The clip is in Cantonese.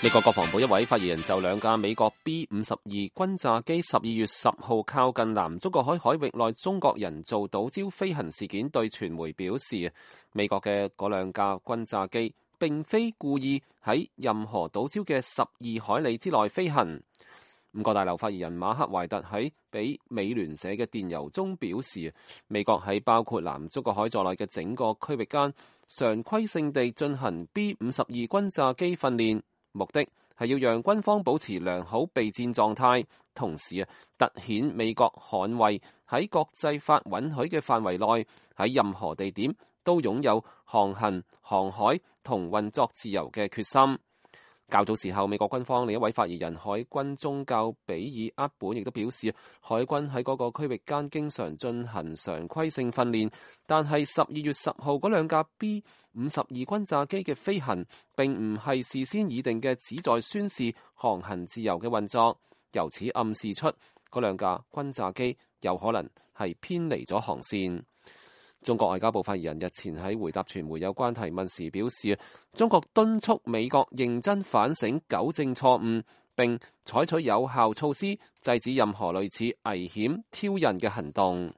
美國國防部一位發言人就兩架美國 B-52轟炸機12月10號靠近南中國海域內中國人造島礁飛行事件對傳媒表示，美國嘅嗰兩架轟炸機並非故意喺任何島礁嘅12海里之內飛行。五角大樓發言人馬克懷特喺俾美聯社嘅電郵中表示，美國喺包括南中國海在內嘅整個區域間常規性地進行 B-52轟炸機訓練，目的係要讓軍方保持良好備戰狀態，同時凸顯美國捍衛喺國際法允許嘅範圍內喺任何地點都擁有航行、航海同運作自由嘅決心。較早時候，美國軍方另一位發言人海軍中校比爾·厄本亦都表示，海軍喺嗰個區域間經常進行常規性訓練，但係12月10號嗰兩架 B-52轟炸機嘅飛行並唔係事先擬定嘅旨在宣示航行自由嘅運作，由此暗示出嗰兩架轟炸機有可能係偏離咗航線。中國外交部發言人日前喺回答傳媒有關提問時表示，中國敦促美國認真反省、糾正錯誤，並採取有效措施制止任何類似危險挑釁嘅行動。